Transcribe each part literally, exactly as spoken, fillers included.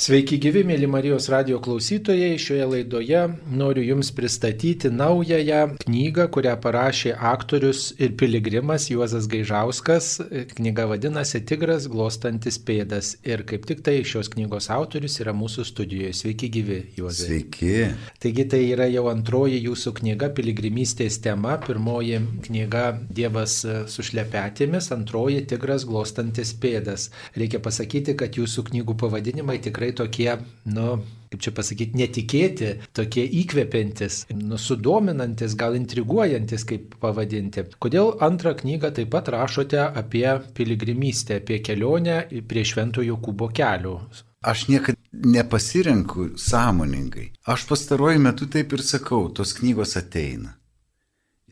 Sveiki gyvi, mėly Marijos radijo klausytojai. Šioje laidoje noriu Jums pristatyti naująją knygą, kurią parašė aktorius ir piligrimas Juozas Gaižauskas. Knyga vadinasi Tigras glostantis pėdas. Ir kaip tik tai šios knygos autorius yra mūsų studijoje. Sveiki gyvi, Juozai. Sveiki. Taigi tai yra jau antroji jūsų knyga piligrimystės tema. Pirmoji knyga Dievas su šlepetėmis, antroji Tigras glostantis pėdas. Reikia pasakyti, kad jūsų knygų pavadinimai tikrai tokie, nu, kaip čia pasakyti, netikėti, tokie įkvepiantis, nu, sudominantis, gal intriguojantis, kaip pavadinti. Kodėl antrą knygą taip pat rašote apie piligrimystę, apie kelionę prie Švento Jokūbo kelio? Aš niekada nepasirenku sąmoningai. Aš pastaruoju metu taip ir sakau, tos knygos ateina.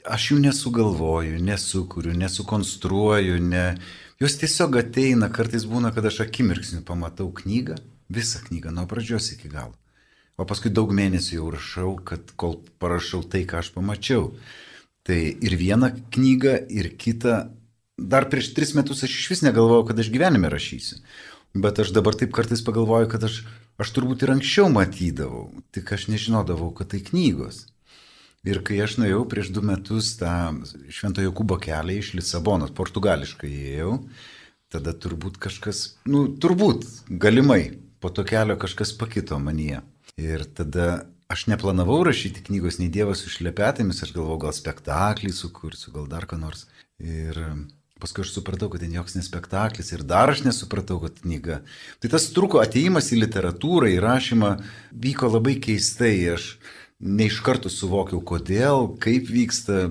Aš jų nesugalvoju, nesukuriu, nesukonstruoju, ne... jos tiesiog ateina, kartais būna, kad aš akimirksniu pamatau knygą, visą knygą, nuo pradžios iki galo. O paskui daug mėnesių jau rašau, kad kol parašau tai, ką aš pamačiau. Tai ir vieną knygą, ir kitą. Dar prieš tris metus aš iš vis negalvojau, kad aš gyvenime rašysiu. Bet aš dabar taip kartais pagalvoju, kad aš, aš turbūt ir anksčiau matydavau, tik aš nežinodavau, kad tai knygos. Ir kai aš nuėjau prieš du metus tą Švento Jokūbo kelią iš Lisabonos, portugališkai ėjau, tada turbūt kažkas, nu turbūt, galimai, po to kelio kažkas pakito manyje. Ir tada aš neplanavau rašyti knygos nei Dievas su šlepetėmis, aš galvojau, gal spektaklį sukursiu, gal dar ką nors. Ir paskui aš supratau, kad tai joks ne spektaklis ir dar aš nesupratau, kad knyga. Tai tas truko atėjimas į literatūrą, į rašymą vyko labai keistai. Aš ne iš karto suvokiau, kodėl, kaip vyksta,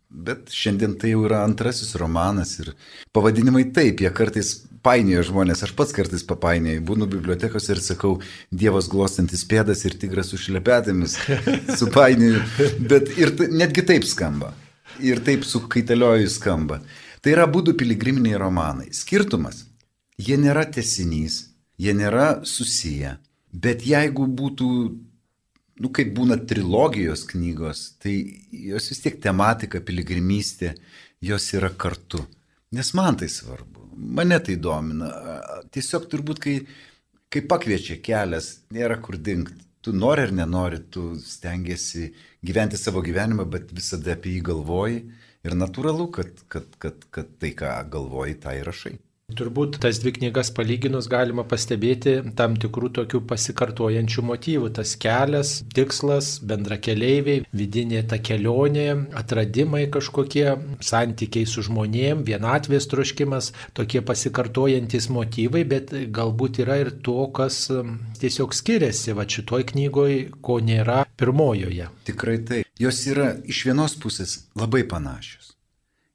bet šiandien tai jau yra antrasis romanas ir pavadinimai taip, jie kartais painioja žmonės, aš pats kartais papainioju, būnu bibliotekose ir sakau Dievas glostantis pėdas ir Tigras su šlepetėmis, supainioju, bet ir t- netgi taip skamba, ir taip su kaitalioju skamba. Tai yra abudu piligriminiai romanai. Skirtumas, jie nėra tęsinys, jie nėra susiję, bet jeigu būtų, nu kaip būna trilogijos knygos, tai jos vis tiek tematika, piligrimystė, jos yra kartu. Nes man tai svarbu, mane tai domina. Tiesiog turbūt, kai, kai pakviečia kelias, nėra kur dingti. Tu nori ar nenori, tu stengiasi gyventi savo gyvenimą, bet visada apie jį galvoji. Ir natūralu, kad, kad, kad, kad tai, ką galvoji, tai rašai. Turbūt tas dvi knygas palyginus galima pastebėti tam tikrų tokių pasikartojančių motyvų. Tas kelias, tikslas, bendrakeleiviai, vidinė ta kelionė, atradimai kažkokie, santykiai su žmonėm, vienatvės troškimas, tokie pasikartojantis motyvai, bet galbūt yra ir to, kas tiesiog skiriasi va šitoj knygoj, ko nėra pirmojoje. Tikrai tai. Jos yra iš vienos pusės labai panašios.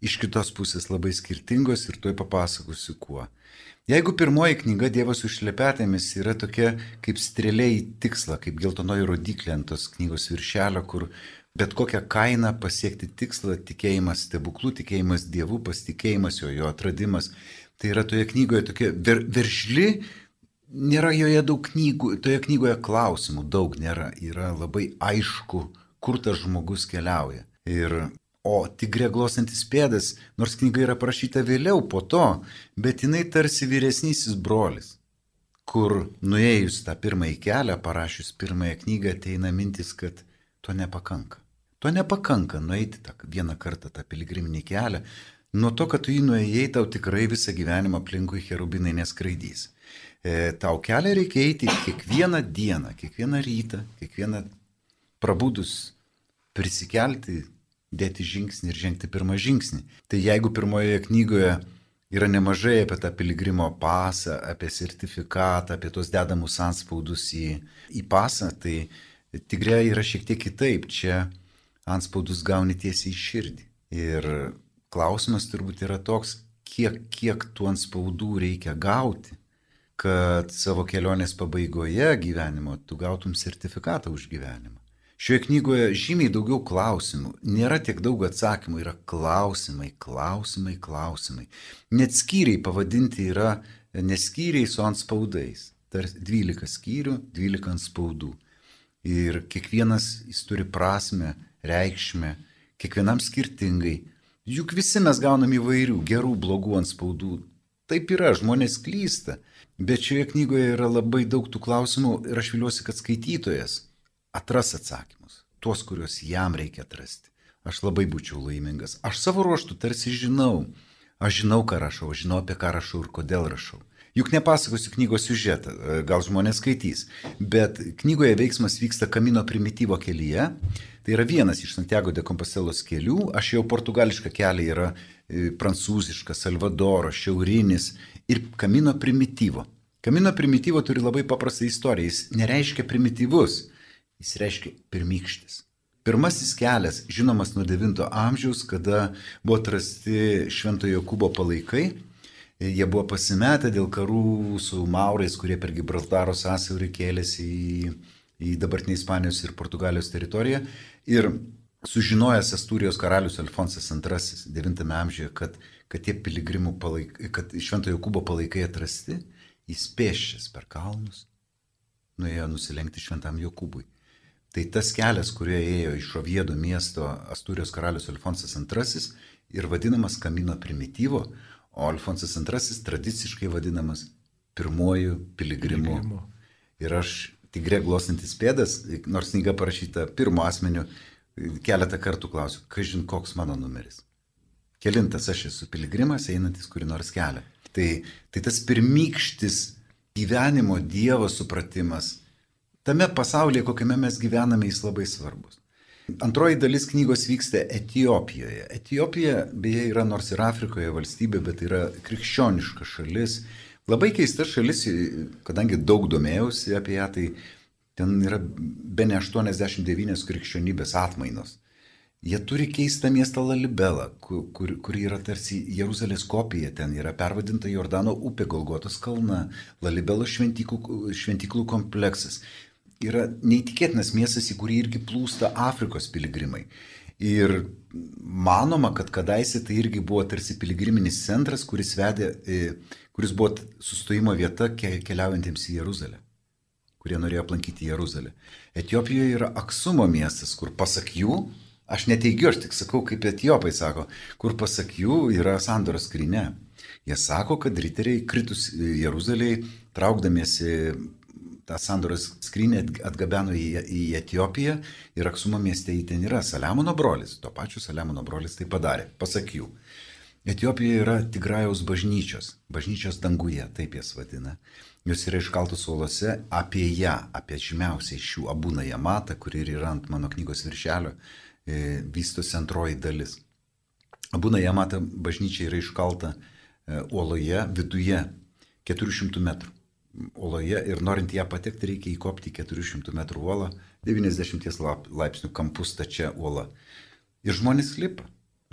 Iš kitos pusės labai skirtingos ir tuoj papasakosiu kuo. Jeigu pirmoji knyga Dievas su šlepetėmis yra tokia kaip strėlė į tikslą, kaip geltonoji rodiklė ant tos knygos viršelio, kur bet kokią kainą pasiekti tikslą, tikėjimas stebuklų, tikėjimas Dievu, pasitikėjimas jo, jo atradimas, tai yra toje knygoje tokia ver, veržli, nėra joje daug knygų, toje knygoje klausimų daug nėra, yra labai aišku, kur tas žmogus keliauja. Ir O Tigre glostantis pėdas, nors knyga yra parašyta vėliau po to, bet jinai tarsi vyresnysis brolis, kur nuėjus tą pirmąjį kelią, parašius pirmąją knygą, ateina mintis, kad to nepakanka. To nepakanka nueiti tą vieną kartą tą piligriminį kelią. Nuo to, kad tu jį nuėjai, tau tikrai visą gyvenimą aplinkui cherubinai neskraidys. E, tau kelią reikia eiti kiekvieną dieną, kiekvieną rytą, kiekvieną prabudus prisikelti, dėti žingsnį ir žengti pirmą žingsnį. Tai jeigu pirmoje knygoje yra nemažai apie tą piligrimo pasą, apie sertifikatą, apie tos dedamus anspaudus į, į pasą, tai Tigre yra šiek tiek kitaip. Čia anspaudus gauni tiesiai į širdį. Ir klausimas turbūt yra toks, kiek, kiek tų anspaudų reikia gauti, kad savo kelionės pabaigoje gyvenimo tu gautum sertifikatą už gyvenimą. Šioje knygoje žymiai daugiau klausimų, nėra tiek daug atsakymų, yra klausimai, klausimai, klausimai. Net skyriai pavadinti yra neskyriai su anspaudais. Tarsi dvylika skyrių, dvylika anspaudų. Ir kiekvienas jis turi prasmę, reikšmę, kiekvienam skirtingai. Juk visi mes gaunam įvairių, gerų, blogų anspaudų. Taip yra, žmonės klysta. Bet šioje knygoje yra labai daug tų klausimų ir aš viliuosi, kad skaitytojas atras atsakymus, tuos, kuriuos jam reikia atrasti. Aš labai būčiau laimingas. Aš savo ruoštų tarsi žinau. Aš žinau, ką rašau, aš žinau, apie ką rašau ir kodėl rašau. Juk nepasakosiu knygos siužetą, gal žmonės skaitys, bet knygoje veiksmas vyksta Camino Primitivo kelyje. Tai yra vienas iš Santiago de Compostelos kelių. Aš jau portugališką kelią yra prancūziškas, Salvadoro, šiaurinis ir Camino Primitivo. Camino Primitivo turi labai paprastą istoriją. Jis nereiškia primityvus, jis reiškia pirmykštis. Pirmasis kelias, žinomas nuo devinto amžiaus, kada buvo atrasti Šventojo Jokūbo palaikai. Jie buvo pasimetę dėl karų su maurais, kurie per Gibraltaro sąsiaurį kėlėsi į, į dabartinį Ispanijos ir Portugalijos teritoriją. Ir sužinojęs Astūrijos karalius Alfonsas antrasis devintame amžiuje, kad, kad tie piligrimų palaikai, kad Šventojo Jokūbo palaikai atrasti, jis pėsčias per kalnus nuėjo nusilenkti Šventam Jokūbui. Tai tas kelias, kurio ėjo iš Oviedo miesto Astūrijos karalius Alfonsas antrasis ir vadinamas Camino Primitivo, o Alfonsas antrasis tradiciškai vadinamas pirmuoju piligrimu. Piligrimu. Ir aš Tigre glostantis pėdas, nors knyga parašyta pirmo asmeniu, keletą kartų klausiu, kažin koks mano numeris. Kelintas aš esu piligrimas, einantis kurį nors kelią. Tai, tai tas pirmykštis gyvenimo Dievo supratimas, tame pasaulyje, kokiame mes gyvename, jis labai svarbus. Antroji dalis knygos vyksta Etiopijoje. Etiopija, beje, yra nors ir Afrikoje valstybė, bet yra krikščioniška šalis. Labai keista šalis, kadangi daug domėjausi apie ją, tai ten yra bene aštuoniasdešimt devynios krikščionybės atmainos. Jie turi keistą miestą Lalibelą, kur, kur, kur yra tarsi Jeruzalės kopija, ten yra pervadinta Jordano upė, Golgotos kalna, Lalibelo šventyklų, šventyklų kompleksas. Yra neįtikėtinas miestas, į kurį irgi plūsta Afrikos piligrimai. Ir manoma, kad kadaise tai irgi buvo tarsi piligriminis centras, kuris, vedė, kuris buvo sustojimo vieta keliaujantiems į Jeruzalę, kurie norėjo aplankyti Jeruzalę. Etiopijoje yra Aksumo miestas, kur pasak jų, aš neteigiu, aš tik sakau, kaip etiopai sako, kur pasak jų yra sandoros skrynia. Jie sako, kad riteriai kritus Jeruzalėje, traukdamiesi tą sandoros skrynę atgabeno į, į Etiopiją ir Aksumo mieste į ten yra Saliamono brolis. Tuo pačiu Saliamono brolis tai padarė, pasak jų. Etiopijoje yra Tigrajaus bažnyčios, bažnyčios danguje, taip jas vadina. Jos yra iškaltos uolose, apie ją, apie žymiausiai šių Abuna Jamata, kuri yra ant mano knygos viršelio, e, vystosi antroji dalis. Abuna Jamata bažnyčia yra iškalta e, uoloje, viduje keturių šimtų metrų. Uoloje ir norint ją patekti reikia įkopti keturių šimtų metrų uolą, devyniasdešimt laipsnių kampus stačia uola. Ir žmonės lipa,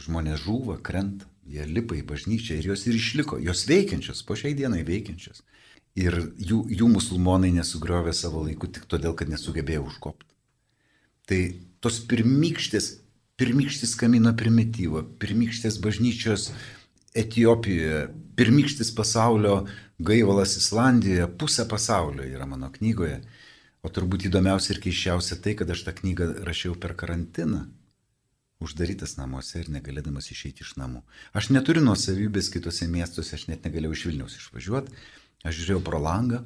žmonės žūva, krenta, jie lipa į bažnyčią ir jos ir išliko, jos veikiančios, po šiai dienai veikiančios. Ir jų, jų musulmonai nesugriovė savo laiku tik todėl, kad nesugebėjo užkopti. Tai tos pirmykštės, pirmykštis Camino Primitivo, pirmykštės bažnyčios Etiopijoje, pirmykštis pasaulio gaivalas Islandijoje, pusė pasaulio yra mano knygoje. O turbūt įdomiausia ir keiščiausia tai, kad aš tą knygą rašiau per karantiną, uždarytas namuose ir negalėdamas išeiti iš namų. Aš neturiu nuosavybės kitose miestuose, aš net negalėjau iš Vilniaus išvažiuoti. Aš žiūrėjau pro langą.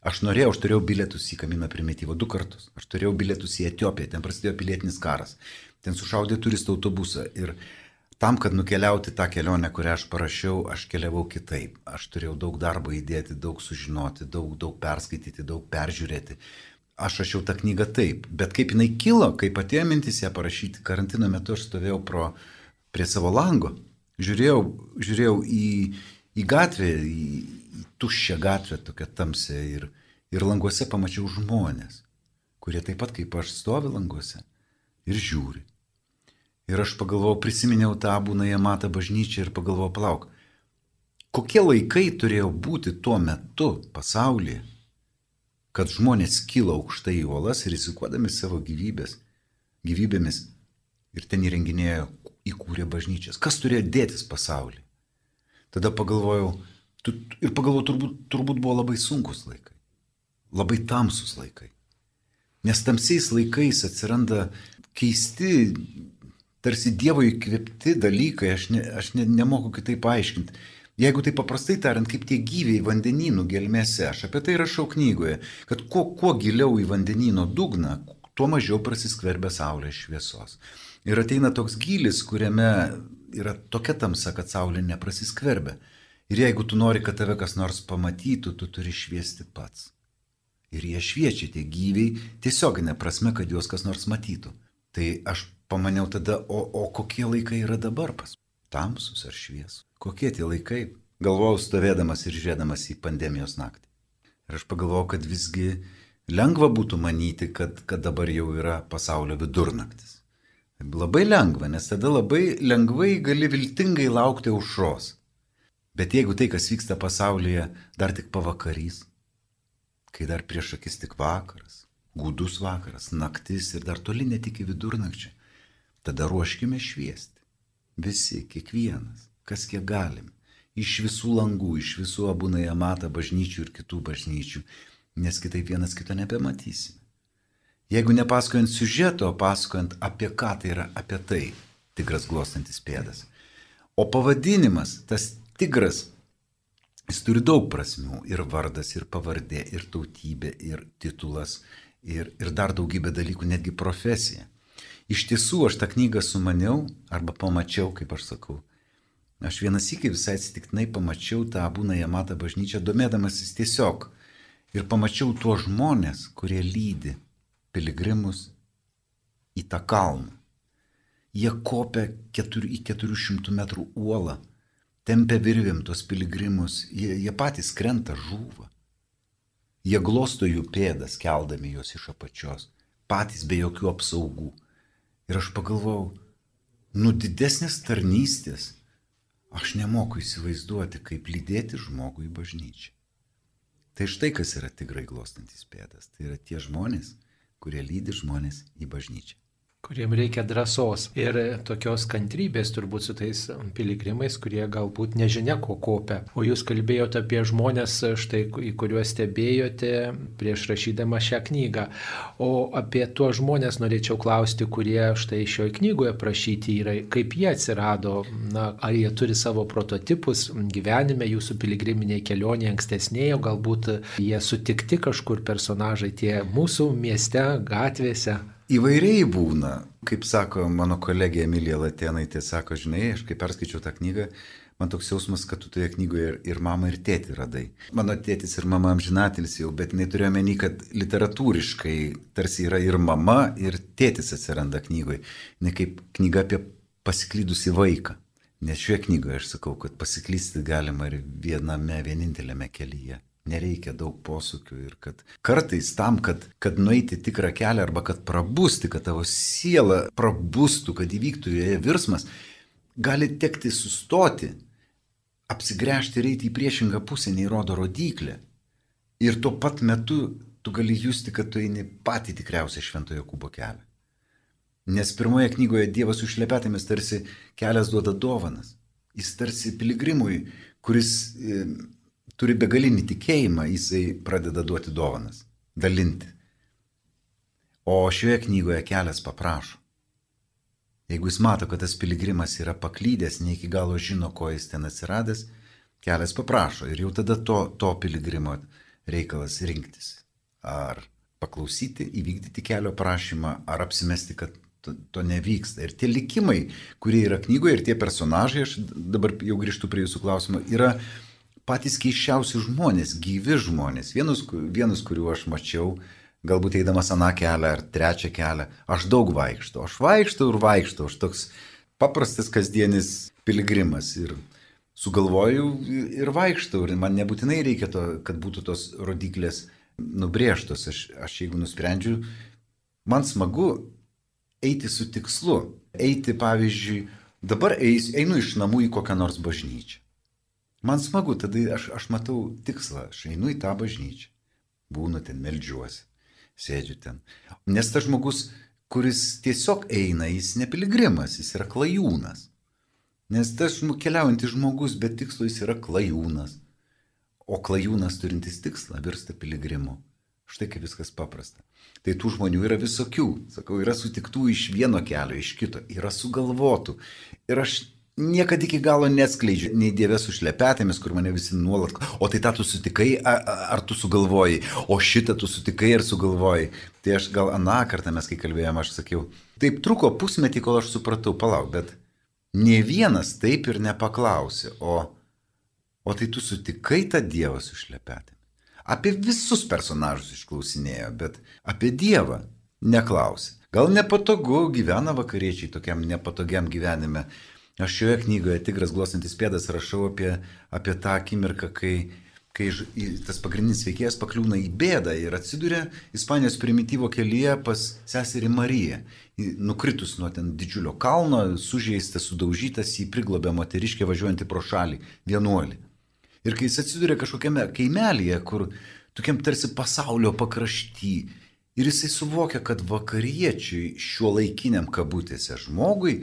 Aš norėjau, aš turėjau bilietus į Camino Primitivo du kartus. Aš turėjau bilietus į Etiopiją, ten prasidėjo pilietinis karas. Ten sušaudė turistų autobusą ir tam, kad nukeliauti tą kelionę, kurią aš parašiau, aš keliavau kitaip. Aš turėjau daug darbo įdėti, daug sužinoti, daug, daug perskaityti, daug peržiūrėti. Aš rašiau tą knygą taip, bet kaip jinai kilo, kaip atėjo mintis ją parašyti, karantino metu aš stovėjau pro, prie savo lango, žiūrėjau, žiūrėjau į, į gatvę, į, į tuščią gatvę, tokią tamsę ir, ir languose pamačiau žmonės, kurie taip pat kaip aš stovi languose ir žiūri. Ir aš pagalvojau, prisiminiau tą Abuna Jamata bažnyčią ir pagalvojau, palauk, kokie laikai turėjo būti tuo metu pasaulyje, kad žmonės kilo aukštai į uolas ir rizikuodami savo gyvybės, gyvybėmis ir ten įrenginėjo, įkūrė bažnyčias. Kas turėjo dėtis pasaulyje? Tada pagalvojau, tu, ir pagalvojau, turbūt, turbūt buvo labai sunkus laikai, labai tamsus laikai. Nes tamsiais laikais atsiranda keisti, tarsi Dievo įkvėpti dalykai, aš, ne, aš ne, nemoku kitaip paaiškinti. Jeigu tai paprastai tariant, kaip tie gyviai vandenynų gelmėse, aš apie tai rašau knygoje, kad kuo, kuo giliau į vandenyno dugną, tuo mažiau prasiskverbia saulės šviesos. Ir ateina toks gylis, kuriame yra tokia tamsa, kad saulė neprasiskverbia. Ir jeigu tu nori, kad tave kas nors pamatytų, tu turi šviesti pats. Ir jie šviečia tie gyviai tiesioginė prasme, kad juos kas nors matytų. Tai aš pamaniau tada, o, o kokie laikai yra dabar pas? Tamsus ar šviesus? Kokie tie laikai? Galvojau stovėdamas ir žiūrėdamas į pandemijos naktį. Ir aš pagalvojau, kad visgi lengva būtų manyti, kad, kad dabar jau yra pasaulio vidurnaktis. Labai lengva, nes tada labai lengvai gali viltingai laukti aušros. Bet jeigu tai, kas vyksta pasaulyje, dar tik pavakarys, kai dar prieš akis tik vakaras, gūdus vakaras, naktis ir dar toli net iki vidurnakčio, tada ruoškime šviesti. Visi, kiekvienas, kas kiek galim, iš visų langų, iš visų Abunai Amata bažnyčių ir kitų bažnyčių, nes kitaip vienas kito nebematysime. Jeigu nepasakojant siužeto, o pasakojant apie ką tai yra, apie tai, tigras glostantis pėdas. O pavadinimas, tas tigras, jis turi daug prasmių, ir vardas, ir pavardė, ir tautybė, ir titulas, ir, ir dar daugybė dalykų, netgi profesija. Iš tiesų, aš tą knygą sumaniau, arba pamačiau, kaip aš sakau. Aš vienas sykį visai atsitiktinai pamačiau tą Abunai Amata bažnyčią, domėdamasis tiesiog. Ir pamačiau tuos žmonės, kurie lydi piligrimus į tą kalną. Jie kopia keturi, į keturių šimtų metrų uolą, tempia virvėm tos piligrimus, jie, jie patys krenta, žūva. Jie glosto jų pėdas, keldami juos iš apačios, patys be jokių apsaugų. Ir aš pagalvojau, nu didesnės tarnystės aš nemoku įsivaizduoti, kaip lydėti žmogų į bažnyčią. Tai štai kas yra tigrai glostantis pėdas. Tai yra tie žmonės, kurie lydi žmonės į bažnyčią. Kuriem reikia drąsos ir tokios kantrybės turbūt su tais piligrimais, kurie galbūt nežinia, ko kopia. O jūs kalbėjote apie žmonės, štai, į kuriuos stebėjote prieš rašydama šią knygą. O apie tuos žmonės norėčiau klausti, kurie štai šioje knygoje prašyti yra, kaip jie atsirado, na, ar jie turi savo prototipus gyvenime, jūsų piligriminėje kelionėje ankstesnėje, galbūt jie sutikti kažkur personažai tie mūsų mieste, gatvėse. Įvairiai būna, kaip sako mano kolegė Emilija Latėnaitė, sako, žinai, aš kai perskaičiau tą knygą, man toks jausmas, kad tu toje knygoje ir, ir mamą, ir tėtį radai. Mano tėtis ir mama amžinatilis jau, bet jinai turėjo menį, kad literatūriškai tarsi yra ir mama, ir tėtis atsiranda knygoje. Ne kaip knyga apie pasiklydusį vaiką. Nes šioje knygoje aš sakau, kad pasiklysti galima ir viename, vienintelėme kelyje. Nereikia daug posūkių ir kad kartais tam, kad, kad nueiti tikrą kelią arba kad prabusti, kad tavo siela prabustų, kad įvyktų joje virsmas, gali tekti sustoti, apsigręžti ir eiti į priešingą pusę, nei rodo rodyklė. Ir tuo pat metu tu gali justi, kad tu eini patį tikriausią Švento Jokūbo kelią. Nes pirmoje knygoje Dievas su šlepetėmis tarsi kelias duoda dovanas. Jis tarsi piligrimui, kuris e, turi begalinį tikėjimą, jisai pradeda duoti dovanas, dalinti. O šioje knygoje kelias paprašo. Jeigu jis mato, kad tas piligrimas yra paklydęs, ne iki galo žino, ko jis ten atsiradęs, kelias paprašo. Ir jau tada to, to piligrimo reikalas rinktis. Ar paklausyti, įvykdyti kelio prašymą, ar apsimesti, kad to, to nevyksta. Ir tie likimai, kurie yra knygoje, ir tie personažai, aš dabar jau grįžtu prie jūsų klausimo, yra patys keiščiausi žmonės, gyvi žmonės. Vienus, vienus, kuriuo aš mačiau, galbūt eidamas aną kelią ar trečią kelią, aš daug vaikštau. Aš vaikštau ir vaikštau. Aš toks paprastas kasdienis piligrimas. Ir sugalvoju ir vaikštau. Ir man nebūtinai reikia to, kad būtų tos rodiklės nubrėžtos. Aš, aš jeigu nusprendžiu, man smagu eiti su tikslu. Eiti, pavyzdžiui, dabar eis, einu iš namų į kokią nors bažnyčią. Man smagu, tada aš, aš matau tikslą, aš einu į tą bažnyčią, būnu ten, meldžiuosi, sėdžiu ten. Nes tas žmogus, kuris tiesiog eina, jis ne piligrimas, jis yra klajūnas. Nes tas keliaujantis žmogus be tikslo, jis yra klajūnas. O klajūnas turintis tikslą virsta piligrimu. Štai kaip viskas paprasta. Tai tų žmonių yra visokių. Sakau, yra sutiktų iš vieno kelio, iš kito, yra sugalvotų. Ir aš niekada iki galo neskleidžiu, nei Dieve su šlepetėmis, kur mane visi nuolat, o tai tą tu sutikai, ar, ar tu sugalvojai, o šitą tu sutikai ar sugalvojai. Tai aš gal aną kartą mes kai kalbėjom, aš sakiau, taip truko pusmetį, kol aš supratau, palauk, bet ne vienas taip ir nepaklausė, o, o tai tu sutikai tą Dievą su šlepetėmis. Apie visus personažus išklausinėjo, bet apie Dievą neklausė. Gal nepatogu, gyvena vakariečiai tokiam nepatogiam gyvenime. Aš šioje knygoje Tigras glostantis pėdas rašau apie, apie tą akimirką, kai, kai tas pagrindinis veikėjas pakliūna į bėdą ir atsiduria Ispanijos primityvo kelyje pas seserį Mariją. Nukritus nuo ten didžiulio kalno, sužeistas, sudaužytas, jį priglobė moteriškė važiuojantį pro šalį, vienuolį. Ir kai jis atsiduria kažkokiame kaimelyje, kur tokiam tarsi pasaulio pakrašty, ir jisai suvokia, kad vakariečiui šiuo laikiniam kabutėse žmogui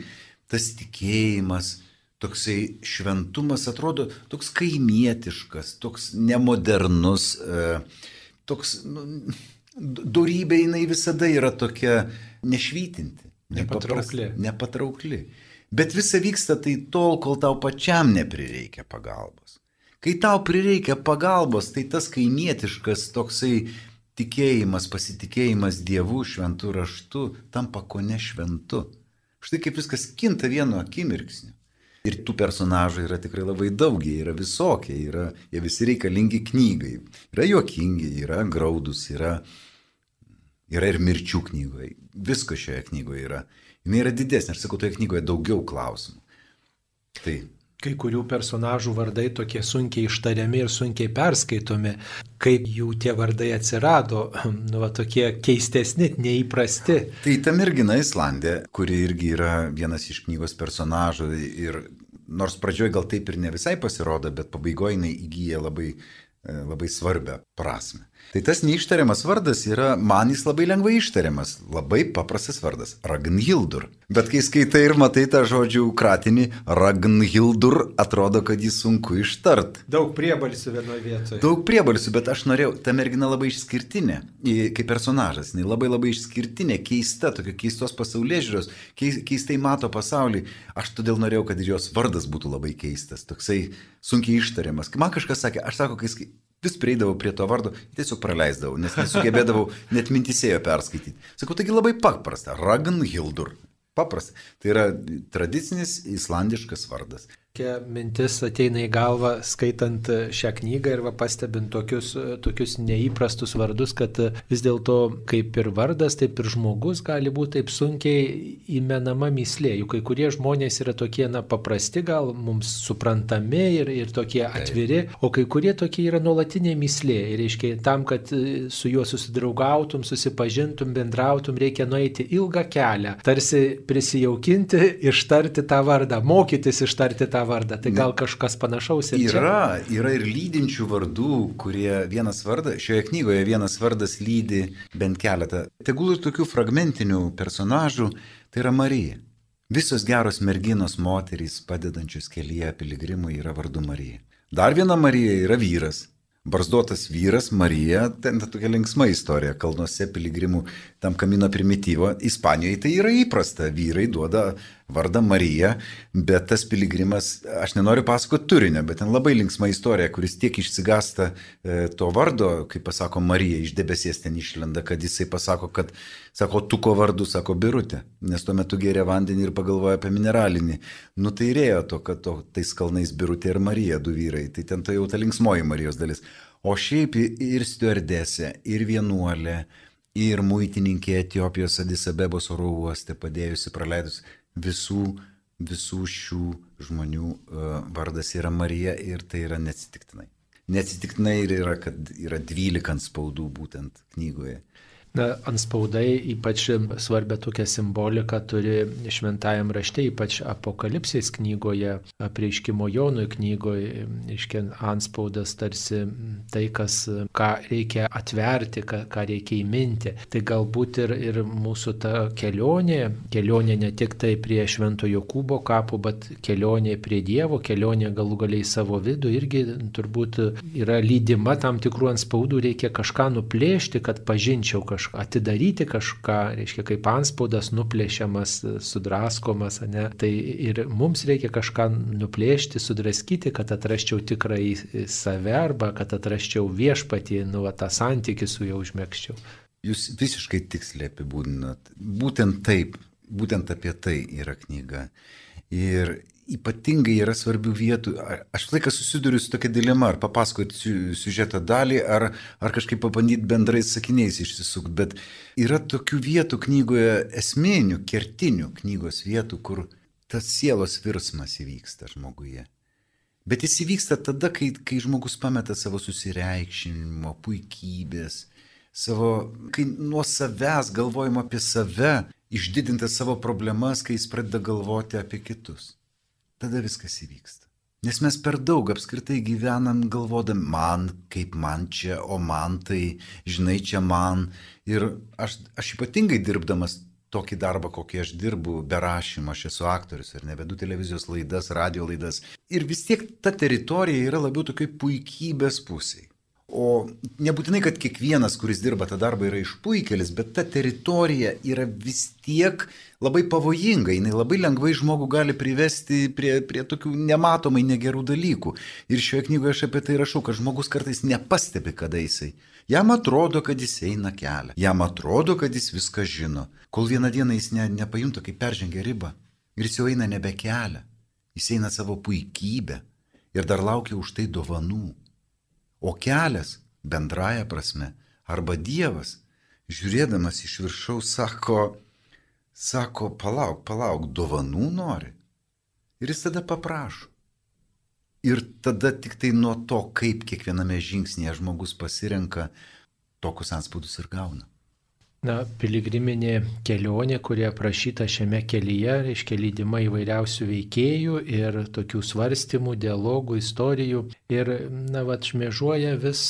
tas tikėjimas, toksai šventumas atrodo toks kaimietiškas, toks nemodernus, toks, nu, dorybė jinai visada yra tokia nešvytinti, nepatraukli. nepatraukli. Bet visa vyksta tai tol, kol tau pačiam neprireikia pagalbos. Kai tau prireikia pagalbos, tai tas kaimietiškas toksai tikėjimas, pasitikėjimas Dievu, šventu raštu, tampa kone šventu. Štai kaip viskas kinta vienu akimirksniu. Ir tų personažų yra tikrai labai daug, jie yra visokie, yra, jie visi reikalingi knygai. Yra juokingi, yra graudus, yra, yra ir mirčių knygoje. Visko šioje knygoje yra. Jis yra didesnė, aš sakau, toje knygoje daugiau klausimų. Tai... Kai kurių personažų vardai tokie sunkiai ištariami ir sunkiai perskaitomi, kaip jų tie vardai atsirado, nu, va, tokie keistesni, neįprasti. Tai ta mergina Islandė, kuri irgi yra vienas iš knygos personažų ir nors pradžioje gal taip ir ne visai pasirodo, bet pabaigoje jinai įgyja labai, labai svarbią prasme. Tai tas neištariamas vardas yra, man jis labai lengvai ištariamas, labai paprastas vardas – Ragnhildur. Bet kai skaitai ir matai tą žodžių kratinį Ragnhildur, atrodo, kad jį sunku ištart. Daug priebalsių vienoje vietoje. Daug priebalsių, bet aš norėjau, ta mergina labai išskirtinė, kaip personažas, jinai labai labai išskirtinė, keista, tokia keistos pasaulėžiūros, keistai mato pasaulį. Aš todėl norėjau, kad ir jos vardas būtų labai keistas, toksai sunkiai ištariamas. Man kažkas sakė, aš sako, kai vis prieidavau prie to vardo, tiesiog praleisdavau, nes nesugebėdavau net mintisėjo perskaityti. Sakau, taigi labai paprasta, Ragnhildur. Paprasta. Tai yra tradicinis islandiškas vardas. Kokia mintis ateina į galvą skaitant šią knygą ir va, pastebint tokius, tokius neįprastus vardus, kad vis dėlto kaip ir vardas, taip ir žmogus gali būti taip sunkiai įmenama mįslė. Juk kai kurie žmonės yra tokie na, paprasti, gal mums suprantami ir, ir tokie atviri, o kai kurie tokie yra nuolatinė mįslė. Ir reiškia, tam, kad su juo susidraugautum, susipažintum, bendrautum, reikia nueiti ilgą kelią, tarsi prisijaukinti, ištarti tą vardą, mokytis ištarti tą vardą. Tai gal kažkas panašaus ir čia? Yra, yra ir lydinčių vardų, kurie vienas vardas, šioje knygoje vienas vardas lydi bent keletą. Tegul ir tokių fragmentinių personažų, tai yra Marija. Visos geros merginos moterys, padedančios kelyje piligrimui, yra vardu Marija. Dar viena Marija yra vyras. Barzdotas vyras, Marija, ten tokia linksma istorija, kalnuose piligrimų tam Kamino Primityvo. Ispanijoje tai yra įprasta, vyrai duoda vardą Marija, bet tas piligrimas, aš nenoriu pasakoti turinio, bet ten labai linksma istorija, kuris tiek išsigasta e, to vardo, kaip pasako Marija, iš debesies ten išlenda, kad jisai pasako, kad, sako, tuko vardu, sako Birutė, nes tuo metu gėrė vandenį ir pagalvoja apie mineralinį. Nu tai rėjo to, kad to, tais kalnais Birutė ir Marija, du vyrai, tai ten tai jau ta linksmoji Marijos dalis. O šiaip ir stiuardesė, ir vienuolė, ir muitininkė Etiopijos Adis Abebos oro uoste padėjusi, praleidus visų, visų šių žmonių uh, vardas yra Marija ir tai yra neatsitiktinai. Neatsitiktinai ir yra, kad yra dvylika spaudų būtent knygoje. Na, anspaudai ypač svarbia tokia simbolika turi šventajam rašte, ypač Apokalipsės knygoje, Apreiškimo Jonui knygoje, iškien anspaudas tarsi tai, kas, ką reikia atverti, ką, ką reikia įminti. Tai galbūt ir, ir mūsų ta kelionė, kelionė ne tik tai prie Švento Jokūbo kapų, bet kelionė prie Dievo, kelionė galų galiai savo vidų irgi turbūt yra lydima tam tikrų anspaudų, reikia kažką nuplėšti, kad pažinčiau kažką. kažką atidaryti kažką, reiškia, kaip anspaudas nuplėšiamas, sudraskomas, ne? Tai ir mums reikia kažką nuplėšti, sudraskyti, kad atrasčiau tikrąjį save arba kad atrasčiau viešpatį, nu, va, tą santykį su juo užmegzčiau. Jūs visiškai tiksliai apibūdinat. Būtent taip, būtent apie tai yra knyga. Ir ypatingai yra svarbių vietų. Aš laiką susiduriu su tokia dilema, ar papasakoti siužeto dalį, ar, ar kažkaip pabandyti bendrais sakiniais išsisukti. Bet yra tokių vietų knygoje, esminių, kertinių knygos vietų, kur tas sielos virsmas įvyksta žmoguje. Bet jis įvyksta tada, kai, kai žmogus pameta savo susireikšinimo, puikybės, savo, kai nuo savęs galvojimo apie save, išdidinti savo problemas, kai jis pradeda galvoti apie kitus. Tada viskas įvyksta. Nes mes per daug apskritai gyvenam galvodami, man, kaip man čia, o man tai, žinai, čia man. Ir aš, aš ypatingai dirbdamas tokį darbą, kokį aš dirbu, be rašymo, aš esu aktorius ir nevedu televizijos laidas, radio laidas. Ir vis tiek ta teritorija yra labiau tokiai puikybės pusiai. O nebūtinai, kad kiekvienas, kuris dirba tą darbą, yra išpuikelis, bet ta teritorija yra vis tiek labai pavojinga, jinai labai lengvai žmogų gali privesti prie, prie tokių nematomai negerų dalykų. Ir šioje knygoje aš apie tai rašau, kad žmogus kartais nepastebi, kada jisai. Jam atrodo, kad jis eina kelią, jam atrodo, kad jis viską žino, kol vieną dieną jis ne, nepajunta, kaip peržengia ribą. Ir jis jau eina nebe kelią, jis eina savo puikybę ir dar laukia už tai dovanų. O kelias, bendraja prasme, arba Dievas, žiūrėdamas iš viršaus, sako, sako, palauk, palauk, dovanų nori. Ir jis tada paprašo. Ir tada tik tai nuo to, kaip kiekviename žingsnėje žmogus pasirenka, tokius anspaudus ir gauna. Na, piligriminė kelionė, kurie aprašyta šiame kelyje, reiškia lydima įvairiausių veikėjų ir tokių svarstymų, dialogų, istorijų. Ir, na, va, šmėžuoja vis,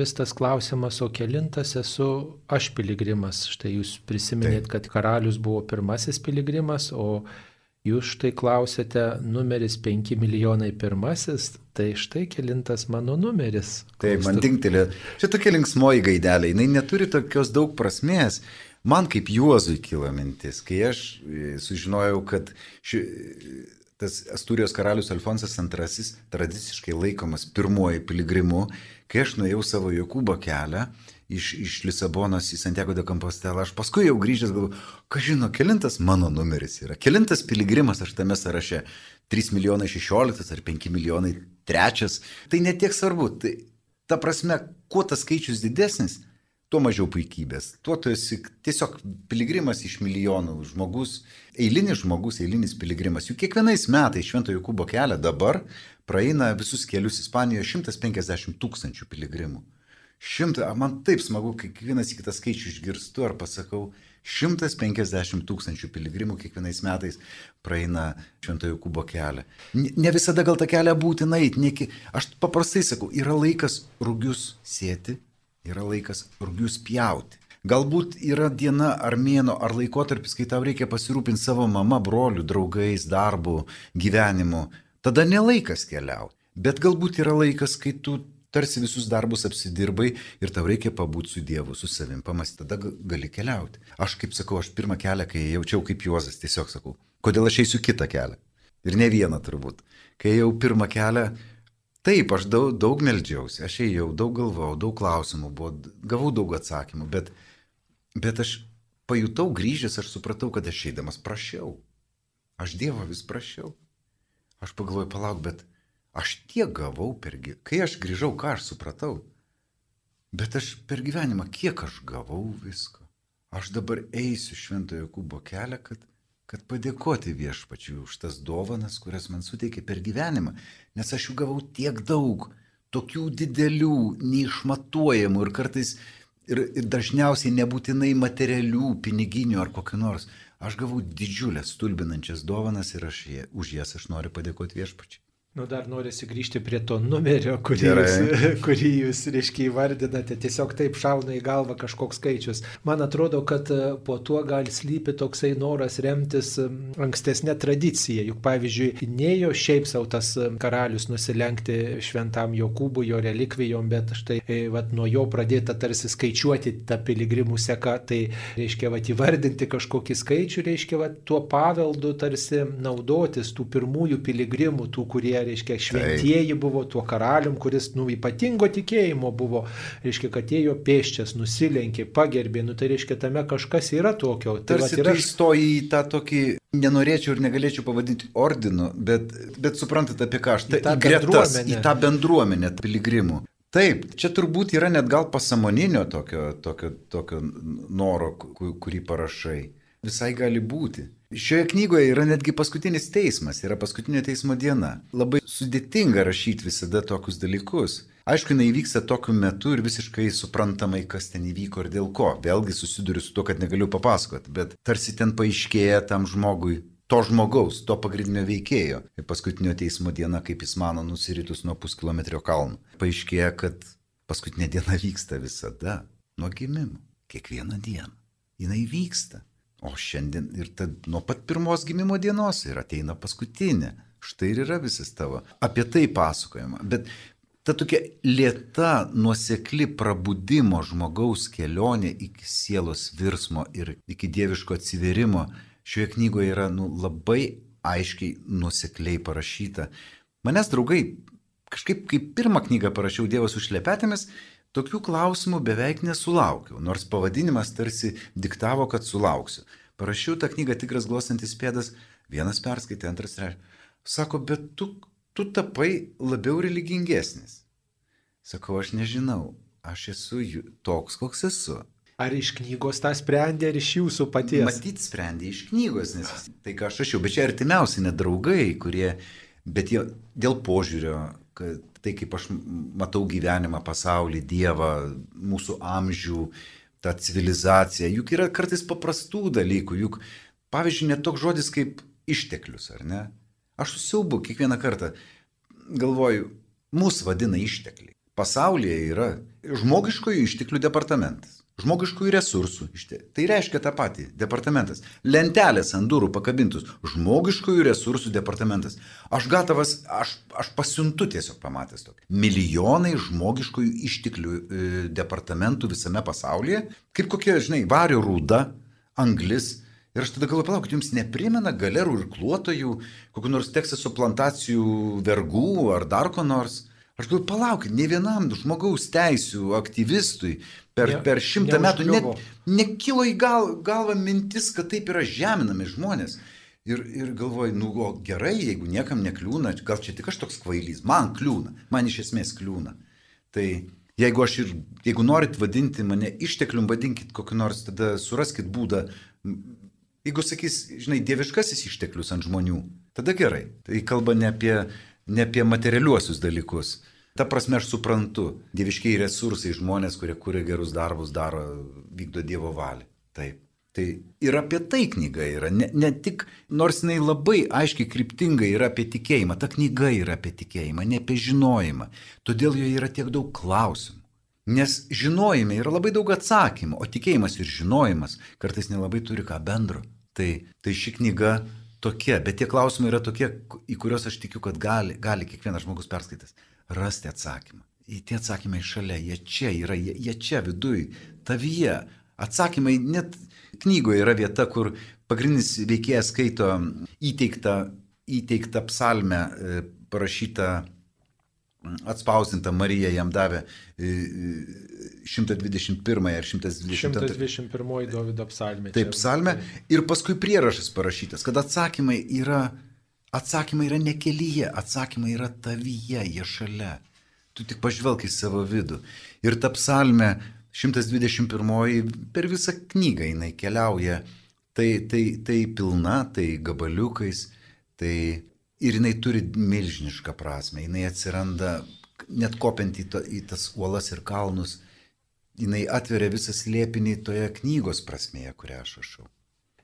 vis tas klausimas, o kelintas esu aš piligrimas. Štai jūs prisiminėt, kad karalius buvo pirmasis piligrimas, o jūs štai klausėte numeris penki milijonai pirmasis, tai štai kelintas mano numeris. Taip, man tinktelė. Čia tokia linksmoji gaidelė, jinai neturi tokios daug prasmės. Man kaip Juozui kilo mintis, kai aš sužinojau, kad ši, tas Astūrijos karalius Alfonsas antrasis tradiciškai laikomas pirmuoju piligrimu, kai aš nuėjau savo Jokūbo kelią, Iš, iš Lisabonos į Santiago de Compostela, aš paskui jau grįžęs galvoju, ką žino, kelintas mano numeris yra, kelintas piligrimas aš tame sąraše, trys milijonai šešioliktas ar penki milijonai trečias, tai netiek svarbu, tai ta prasme, kuo tas skaičius didesnis, tuo mažiau puikybės, tuo tu esi tiesiog piligrimas iš milijonų, žmogus, eilinis žmogus, eilinis piligrimas, juk kiekvienais metais Švento Jokūbo kelią dabar praeina visus kelius Ispanijoje šimtas penkiasdešimt tūkstančių piligrimų. Šimta, man taip smagu, kai kiekvienas į kitą skaičių išgirstu ar pasakau, šimtas penkiasdešimt tūkstančių piligrimų kiekvienais metais praeina Švento Jokūbo kelią. Ne visada gal tą kelią būtina eiti, neki... aš paprastai sakau, yra laikas rugius sėti, yra laikas rugius pjauti. Galbūt yra diena ar mėno ar laikotarpis, kai tau reikia pasirūpinti savo mama, broliu, draugais, darbu, gyvenimu. Tada nelaikas keliauti, bet galbūt yra laikas, kai tu tarsi visus darbus apsidirbai ir tau reikia pabūti su Dievu, su savim, pamasti, tada gali keliauti. Aš kaip sakau, aš pirmą kelią, kai jaučiau kaip Juozas, tiesiog sakau, kodėl aš eisiu kitą kelią. Ir ne vieną turbūt. Kai jau pirmą kelią, taip, aš daug, daug meldžiausi, aš ėjau, daug galvojau, daug klausimų buvo, gavau daug atsakymų, bet, bet aš pajutau grįžęs, aš supratau, kad aš eidamas prašiau. Aš Dievo vis prašiau. Aš pagalvoju, palauk, bet aš tiek gavau per gyvenimą. Kai aš grįžau, ką aš supratau? Bet aš per gyvenimą, kiek aš gavau visko. Aš dabar eisiu Švento Jokūbo kelią, kad, kad padėkoti Viešpačiui už tas dovanas, kurias man suteikė per gyvenimą. Nes aš jų gavau tiek daug, tokių didelių, neišmatuojamų ir kartais ir, ir dažniausiai nebūtinai materialių, piniginių ar kokių nors. Aš gavau didžiulės stulbinančias dovanas ir aš, už jas aš noriu padėkoti Viešpačiui. Nu, dar norisi grįžti prie to numerio, kurį jūs, kurį jūs, reiškia, įvardinate. Tiesiog taip šauna į galvą kažkoks skaičius. Man atrodo, kad po tuo gali slypi toksai noras remtis ankstesnė tradicija. Juk, pavyzdžiui, nėjo šiaip savo tas karalius nusilenkti šventam Jokūbui, jo relikvijom, bet štai vat, nuo jo pradėta tarsi skaičiuoti tą piligrimų seką. Tai reiškia, vat, įvardinti kažkokį skaičių, reiškia, vat, tuo paveldu tarsi naudotis tų pirmųjų piligrimų, tų, kurie reiškia, šventieji buvo, tuo karalium, kuris, nu, ypatingo tikėjimo buvo, reiškia, kad ėjo pėsčias, nusilenkė, pagerbė, nu, tai reiškia, tame kažkas yra tokio. Tai tarsi yra... tu įstoji į tą tokį, nenorėčiau ir negalėčiau pavadinti ordinu, bet, bet suprantat apie ką aš, ta, į, į gretas, į tą bendruomenę piligrimų. Taip, čia turbūt yra net gal pasąmoninio tokio, tokio, tokio noro, kurį parašai. Visai gali būti. Šioje knygoje yra netgi paskutinis teismas, yra paskutinio teismo diena. Labai sudėtinga rašyti visada tokius dalykus. Aišku, jinai vyksta tokiu metu ir visiškai suprantamai, kas ten įvyko ir dėl ko. Vėlgi susiduriu su to, kad negaliu papasakoti, bet tarsi ten paaiškėja tam žmogui, to žmogaus, to pagrindinio veikėjo. Ir paskutinio teismo diena, kaip jis mano, nusiritus nuo puskilometrio kalnų. Paaiškėja, kad paskutinė diena vyksta visada, nuo gimimo, kiekvieną dieną. Jinai vyksta. O šiandien ir tad nuo pat pirmos gimimo dienos ir ateina paskutinė. Štai ir yra visas tavo. Apie tai pasakojama. Bet ta tokia lėta, nuosekli prabudimo žmogaus kelionė iki sielos virsmo ir iki dieviško atsiverimo šioje knygoje yra nu, labai aiškiai nuosekliai parašyta. Manęs draugai, kažkaip kaip pirmą knygą parašiau Dievas su šlepetėmis, tokių klausimų beveik nesulaukiau, nors pavadinimas tarsi diktavo, kad sulauksiu. Parašiau tą knygą Tigras glostantis pėdas, vienas perskaitė, antras trečias. Sako, bet tu, tu tapai labiau religingesnis. Sakau, aš nežinau, aš esu toks, koks esu. Ar iš knygos tą sprendė, ar iš jūsų paties? Matyt, sprendė iš knygos, nes tai ką aš rašiau, bet čia artimiausi net draugai, kurie, bet jie dėl požiūrio, kad tai kaip aš matau gyvenimą, pasaulį, Dievą, mūsų amžių, tą civilizaciją, juk yra kartais paprastų dalykų, juk pavyzdžiui net toks žodis kaip išteklius, ar ne? Aš susiaubu kiekvieną kartą, galvoju, mūsų vadina ištekliai. Pasaulyje yra žmogiškojų išteklių departamentas. Žmogiškųjų resursų. Tai reiškia tą patį. Departamentas. Lentelės ant durų pakabintus. Žmogiškųjų resursų departamentas. Aš gatavas, aš, aš pasiuntu tiesiog pamatęs tokį. Milijonai žmogiškųjų išteklių e, departamentų visame pasaulyje. Kaip kokie, žinai, vario rūda, anglis. Ir aš tada galvoju, palaukit, jums neprimena galerų ir kluotojų, kokių nors Teksaso plantacijų vergų ar dar ko nors. Aš galvoju, palaukit, ne vienam žmogaus teisių aktyvistui per, per šimtą metų net nekilo į gal, galvą mintis, kad taip yra žeminami žmonės. Ir, ir galvoju, nu o gerai, jeigu niekam nekliūna, gal čia tik aš toks kvailys, man kliūna, man iš esmės kliūna. Tai jeigu aš ir, jeigu norit vadinti mane išteklium, vadinkit kokį nors, tada suraskit būdą. Jeigu sakys, žinai, dieviškasis išteklius ant žmonių, tada gerai. Tai kalba ne apie, ne apie materialiuosius dalykus. Ta prasme aš suprantu, dieviškiai resursai žmonės, kurie kuria gerus darbus, daro, vykdo Dievo valią. Taip. Tai ir apie tai knyga yra, ne, ne tik, nors jinai labai aiškiai kryptingai yra apie tikėjimą, ta knyga yra apie tikėjimą, ne apie žinojimą. Todėl joje yra tiek daug klausimų. Nes žinojime yra labai daug atsakymų, o tikėjimas ir žinojimas kartais nelabai turi ką bendro. Tai, tai ši knyga tokia, bet tie klausimai yra tokie, į kuriuos aš tikiu, kad gali, gali kiekvienas žmogus perskaitęs rasti atsakymą. Į tie atsakymai šalia, jie čia yra, jie, jie čia viduj, tavyje. Atsakymai, net knygoje yra vieta, kur pagrindinis veikėjas skaito įteiktą, įteiktą psalmę, parašytą, atspausdintą, Marija jam davė šimtas dvidešimt pirmąją ar šimtas dvidešimt antrąją. šimtas dvidešimt pirmoji Dovydo psalmė. Taip, psalmė. Ir paskui prierašas parašytas, kad atsakymai yra, atsakymai yra ne kelyje, atsakymai yra tavyje, jie šalia. Tu tik pažvelk į savo vidų. Ir ta psalmė šimtas dvidešimt pirmoji per visą knygą jinai keliauja. Tai, tai, tai pilna, tai gabaliukais, tai ir jinai turi milžinišką prasme. Jinai atsiranda net kopiant į, to, į tas uolas ir kalnus. Jinai atveria visą slėpinį toje knygos prasmėje, kurią aš rašau.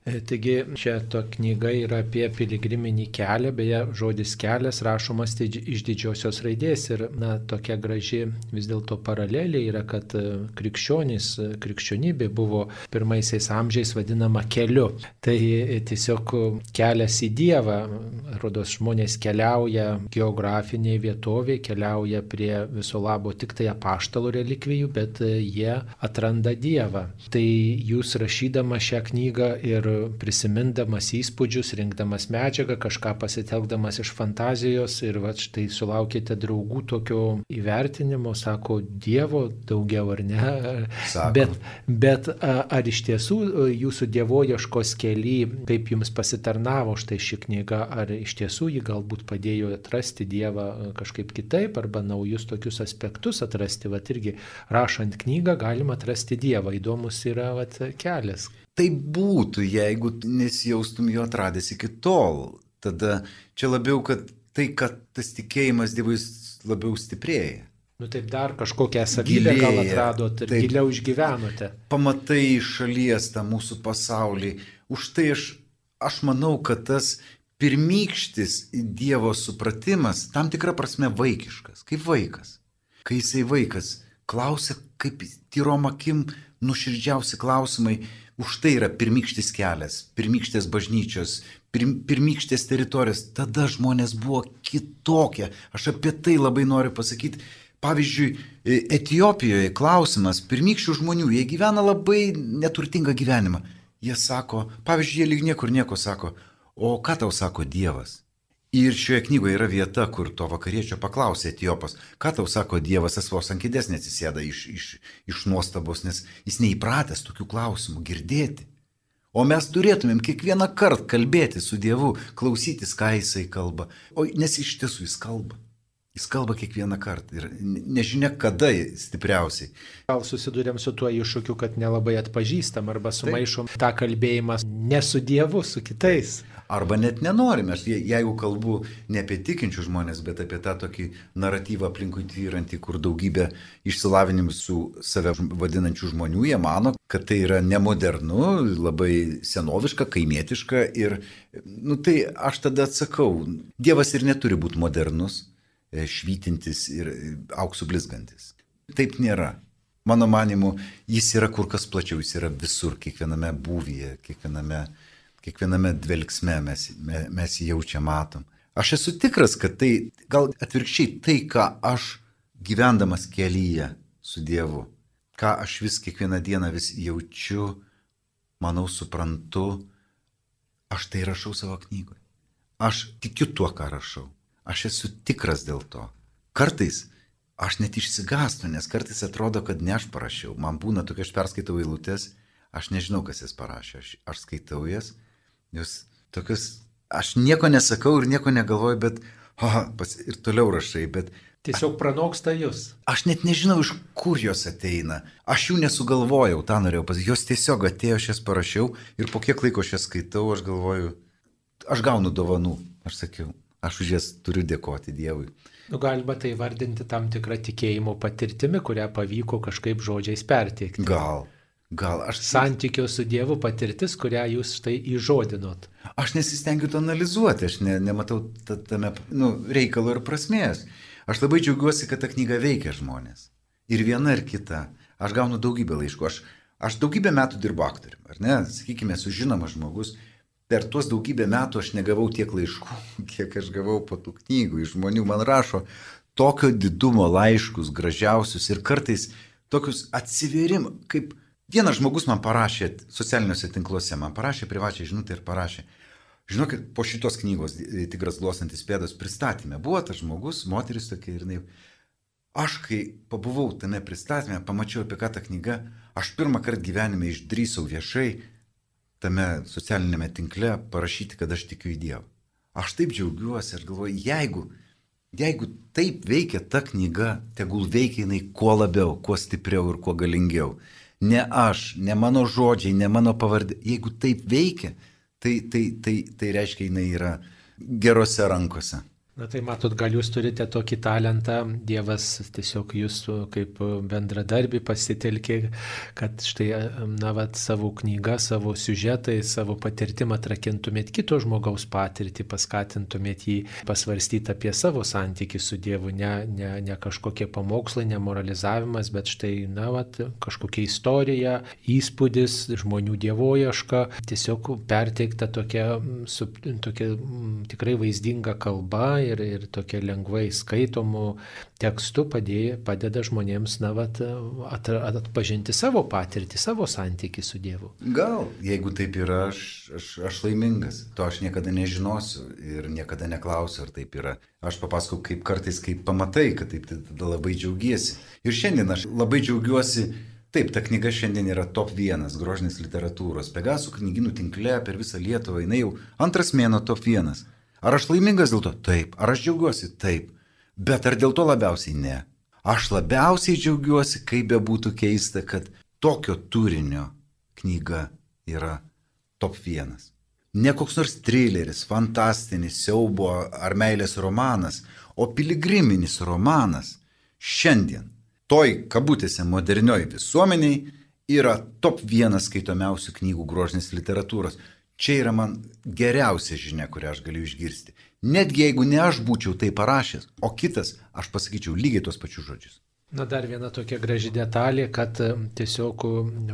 Taigi čia to knyga yra apie piligriminį kelią, beje, žodis kelias rašomas iš didžiosios raidės ir na, tokia graži vis dėlto paralelė yra, kad krikščionys, krikščionybė buvo pirmaisiais amžiais vadinama keliu. Tai tiesiog kelias į Dievą, rodos žmonės keliauja geografinėje vietovėje, keliauja prie viso labo tik tai apaštalų relikvijų, bet jie atranda Dievą. Tai jūs rašydama šią knygą ir prisimindamas įspūdžius, rinkdamas medžiagą, kažką pasitelkdamas iš fantazijos ir va štai sulaukite draugų tokio įvertinimo, sako, Dievo daugiau ar ne. Sako. Bet, bet ar iš tiesų jūsų dievoieškos kely, kaip jums pasitarnavo štai ši knyga, ar iš tiesų ji galbūt padėjo atrasti Dievą kažkaip kitaip arba naujus tokius aspektus atrasti, va irgi rašant knygą galima atrasti Dievą, įdomus yra va kelias. Tai būtų, jeigu nesijaustum jo atradęs iki tol. Tada čia labiau, kad tai, kad tas tikėjimas Dievui labiau stiprėja. Nu taip dar kažkokią savybę gal atradot ir taip, giliau išgyvenote. Pamatai iš šalies tą mūsų pasaulį. Už tai aš, aš manau, kad tas pirmykštis Dievo supratimas tam tikra prasme vaikiškas, kaip vaikas. Kai jisai vaikas klausia, kaip tyrom akim nuoširdžiausi klausimai. Už tai yra pirmykštis kelias, pirmykštės bažnyčios, pir, pirmykštės teritorijos. Tada žmonės buvo kitokie. Aš apie tai labai noriu pasakyti. Pavyzdžiui, Etiopijoje klausimas pirmykščių žmonių, jie gyvena labai neturtingą gyvenimą. Jie sako, pavyzdžiui, jie lyg niekur nieko sako, o ką tau sako Dievas? Ir šioje knygoje yra vieta, kur to vakariečio paklausė Etiopas, ką tau sako Dievas, jis vos ant kėdės neatsisėda iš, iš, iš nuostabos, nes jis neįpratęs tokių klausimų girdėti. O mes turėtumėm kiekvieną kartą kalbėti su Dievu, klausytis, ką jisai kalba. O nes iš tiesų jis kalba. Jis kalba kiekvieną kartą ir nežinia kada stipriausiai. Gal susidurėm su tuo iššūkiu, kad nelabai atpažįstam arba sumaišom Taip. tą kalbėjimą ne su Dievu, su kitais. Arba net nenorime. Aš jeigu kalbu ne apie tikinčių žmonės, bet apie tą tokį naratyvą aplinkui tvyrantį, kur daugybė išsilavinimų su save vadinančių žmonių, jie mano, kad tai yra nemodernu, labai senoviška, kaimietiška ir, nu tai aš tada atsakau, Dievas ir neturi būti modernus, švytintis ir auksų blizgantis. Taip nėra. Mano manimu, jis yra kur kas plačiau, jis yra visur, kiekviename būvyje, kiekviename, kiekviename dvelksme mes, mes jį jaučia, matom. Aš esu tikras, kad tai, gal atvirkščiai, tai, ką aš gyvendamas kelyje su Dievu, ką aš vis kiekvieną dieną vis jaučiu, manau, suprantu, aš tai rašau savo knygoje. Aš tikiu tuo, ką rašau. Aš esu tikras dėl to. Kartais aš net išsigąstu, nes kartais atrodo, kad ne aš parašiau. Man būna tokia, aš perskaitau eilutes, aš nežinau, kas jas parašė. Aš, aš skaitau jas, jos tokius, aš nieko nesakau ir nieko negalvoju, bet oh, pas, ir toliau rašai, bet... Tiesiog pranoksta jūs. Aš net nežinau, iš kur jos ateina. Aš jų nesugalvojau, tą norėjau pasakyti. Jos tiesiog atėjo, aš jas parašiau ir po kiek laiko aš jas skaitau, aš galvoju, aš gaunu dovanų. Aš sakiau, aš už jas turiu dėkoti Dievui. Nu, galima tai vardinti tam tikrą tikėjimo patirtimi, kurią pavyko kažkaip žodžiais perteikti. Gal, gal. Aš... Santykio su Dievu patirtis, kurią jūs štai įžodinot. Aš nesistengiu to analizuoti, aš ne, nematau tame nu, reikalo ir prasmės. Aš labai džiaugiuosi, kad ta knyga veikia žmonės. Ir viena, ir kita. Aš gaunu daugybę laiškų. Aš, aš daugybę metų dirbu aktorium, ar ne? Sakykime, esu žinomas žmogus. Per tuos daugybę metų aš negavau tiek laiškų, kiek aš gavau po tų knygų. Iš žmonių man rašo tokio didumo laiškus, gražiausius ir kartais tokius atsivėrimų, kaip vienas žmogus man parašė socialiniuose tinkluose, man parašė privačią žinutę ir parašė. Žinokit, po šitos knygos Tigras glostantis pėdas pristatymė buvo tas žmogus, moteris tokia ir jinai. Aš kai pabuvau tame pristatymė, pamačiau apie ką ta knyga, aš pirmą kartą gyvenime išdrįsau viešai tame socialinėme tinkle parašyti, kad aš tikiu į Dievą. Aš taip džiaugiuosi, aš galvoju, jeigu, jeigu taip veikia ta knyga, tegul veikia jinai kuo labiau, kuo stipriau ir kuo galingiau. Ne aš, ne mano žodžiai, ne mano pavardė. Jeigu taip veikia, tai, tai, tai, tai reiškia, jinai yra gerose rankose. Na tai matot, gal jūs turite tokį talentą, Dievas tiesiog jūs kaip bendradarbį pasitelkė, kad štai, na, vat, savo knygą, savo siužetai, savo patirtimą atrakintumėt kito žmogaus patirtį, paskatintumėt jį pasvarstyti apie savo santykį su Dievu, ne, ne, ne kažkokie pamokslai, ne moralizavimas, bet štai, na, vat, kažkokia istorija, įspūdis, žmonių dievoieška, tiesiog perteikta tokia, su, tokia tikrai vaizdinga kalba, Ir, ir tokia lengvai skaitomų tekstų padėjo, padeda žmonėms, na, vat, at, atpažinti savo patirtį, savo santykį su Dievu. Gal, jeigu taip yra, aš, aš, aš laimingas. To aš niekada nežinosiu ir niekada neklausiu, ar taip yra. Aš papasakau, kaip kartais, kaip pamatai, kad taip tada labai džiaugiesi. Ir šiandien aš labai džiaugiuosi. Taip, ta knyga šiandien yra top vienas grožinės literatūros. Pegasų knygynų tinkle per visą Lietuvą, jinai jau antras mėnuo top vienas. Ar aš laimingas dėl to? Taip. Ar aš džiaugiuosi? Taip. Bet ar dėl to labiausiai? Ne. Aš labiausiai džiaugiuosi, kaip bebūtų keista, kad tokio turinio knyga yra top vienas. Ne koks nors trileris, fantastinis, siaubo ar meilės romanas, o piligriminis romanas šiandien, toj kabutėse modernioj visuomeniai, yra top vienas skaitomiausių knygų grožinės literatūros. Čia yra man geriausia žinia, kurią aš galiu išgirsti. Netgi jeigu ne aš būčiau tai parašęs, o kitas, aš pasakyčiau lygiai tos pačius žodžius. Na dar viena tokia graži detalė, kad tiesiog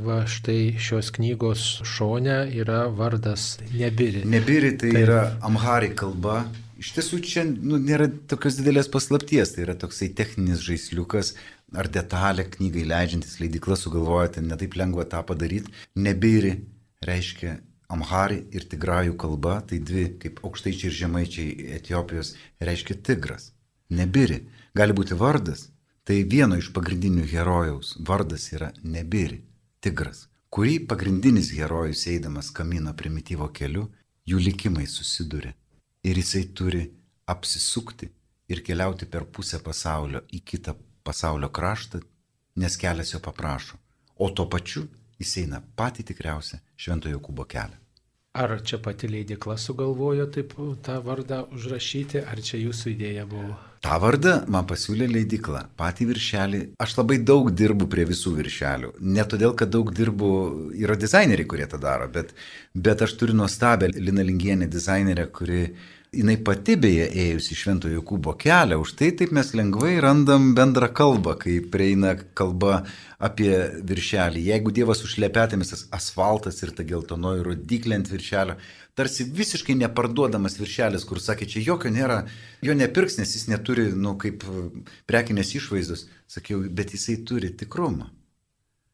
va štai šios knygos šone yra vardas Nebiri. Nebiri tai, tai yra amhari kalba. Iš tiesų čia nu, nėra tokios didelės paslapties, tai yra toksai techninis žaisliukas ar detalė knygai leidžiantis leidykla sugalvoja, tai netaip lengva tą padaryti. Nebiri reiškia amhari ir tigrajų kalba, tai dvi, kaip aukštaičiai ir žemaičiai Etiopijos, reiškia tigras. Nebiri gali būti vardas, tai vieno iš pagrindinių herojaus vardas yra Nebiri, tigras, kurį pagrindinis herojus eidamas kamino primityvo keliu, jų likimai susiduria. Ir jisai turi apsisukti ir keliauti per pusę pasaulio į kitą pasaulio kraštą, nes kelias jo paprašo. O tuo pačiu jis eina patį tikriausią Švento Jokūbo kelią. Ar čia pati leidykla sugalvojo taip tą vardą užrašyti, ar čia jūsų idėja buvo? Ta vardą man pasiūlė leidykla, patį viršelį. Aš labai daug dirbu prie visų viršelių. Ne todėl, kad daug dirbu, yra dizaineriai, kurie tą daro, bet, bet aš turiu nuostabią Lina Lingienę dizainerę, kuri jinai pati beje ėjusi Švento Jokūbo kelią, už tai taip mes lengvai randam bendrą kalbą, kai prieina kalba apie viršelį. Jeigu Dievas užlepetėmis tas asfaltas ir ta geltonoji rodyklė ant viršelio, tarsi visiškai neparduodamas viršelis, kur sakė, čia jokio nėra, jo nepirks, nes jis neturi, nu, kaip prekinės išvaizdos. Sakiau, bet jisai turi tikrumą.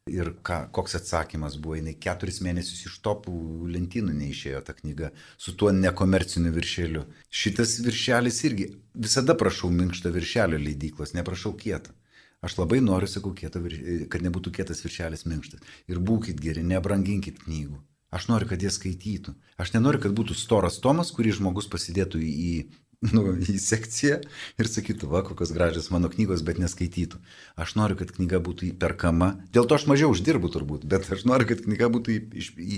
Ir ką, koks atsakymas buvo, jinai keturis mėnesius iš topų lentynų neišėjo ta knyga su tuo nekomerciniu viršeliu. Šitas viršelis irgi, visada prašau minkštą viršelio leidyklos, neprašau kietą. Aš labai noriu, sakau, kieto, kad nebūtų kietas viršelis minkštas. Ir būkit geri, nebranginkit knygų. Aš noriu, kad jie skaitytų. Aš nenoriu, kad būtų storas tomas, kurį žmogus pasidėtų į... Nu, į sekciją ir sakytų, va, kokios gražios mano knygos, bet neskaitytų. Aš noriu, kad knyga būtų įperkama. Dėl to aš mažiau uždirbu turbūt, bet aš noriu, kad knyga būtų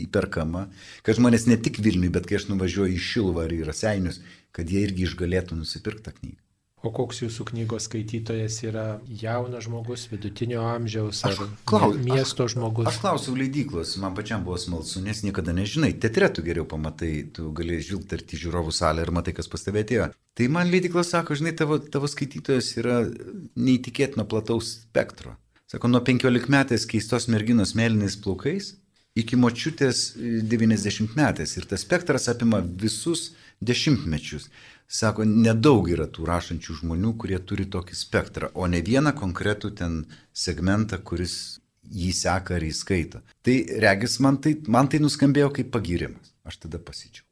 įperkama. Kad žmonės ne tik Vilniui, bet kai aš nuvažiuoju į Šiluvą ar į Raseinius, kad jie irgi išgalėtų nusipirkti tą knygą. O koks jūsų knygos skaitytojas yra jaunas žmogus, vidutinio amžiaus ar klaus, miesto aš, žmogus? Aš klausiau leidyklos, man pačiam buvo smalsu, nes niekada nežinai. Teatre tu geriau pamatai, tu gali žvilgterti į žiūrovų salę ir matai, kas pas tave atėjo. Tai man leidyklos sako, žinai, tavo, tavo skaitytojas yra neįtikėtino plataus spektro. Sako, nuo penkiolikmetės keistos merginos mėlynais plaukais iki močiutės devyniasdešimtmetės. Ir tas spektras apima visus dešimtmečius. Sako, nedaug yra tų rašančių žmonių, kurie turi tokį spektrą, o ne vieną konkretų ten segmentą, kuris jį seka ar įskaito. Tai regis, man tai, man tai nuskambėjo kaip pagyrimas. Aš tada pasidžiaugiau.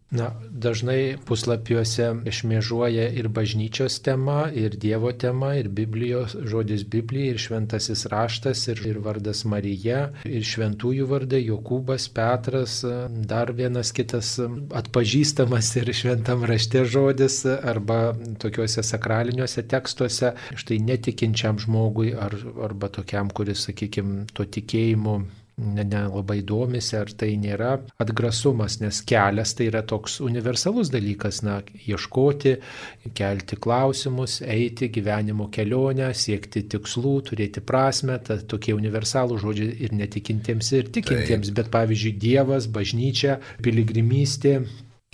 Na, dažnai puslapiuose šmėžuoja ir bažnyčios tema, ir Dievo tema, ir Biblijos, žodis Biblija, ir šventasis raštas, ir, ir vardas Marija, ir šventųjų vardai, Jokūbas, Petras, dar vienas kitas atpažįstamas ir šventam rašte žodis, arba tokiuose sakraliniuose tekstuose, štai netikinčiam žmogui, ar, arba tokiam, kuris, sakykime, to tikėjimu nelabai domisi, ar tai nėra atgrasumas, nes kelias tai yra toks universalus dalykas, na, ieškoti, kelti klausimus, eiti gyvenimo kelionę, siekti tikslų, turėti prasme, ta, tokie universalų žodžiai ir netikintiems, ir tikintiems, Taip. Bet pavyzdžiui, Dievas, bažnyčia, piligrimystė,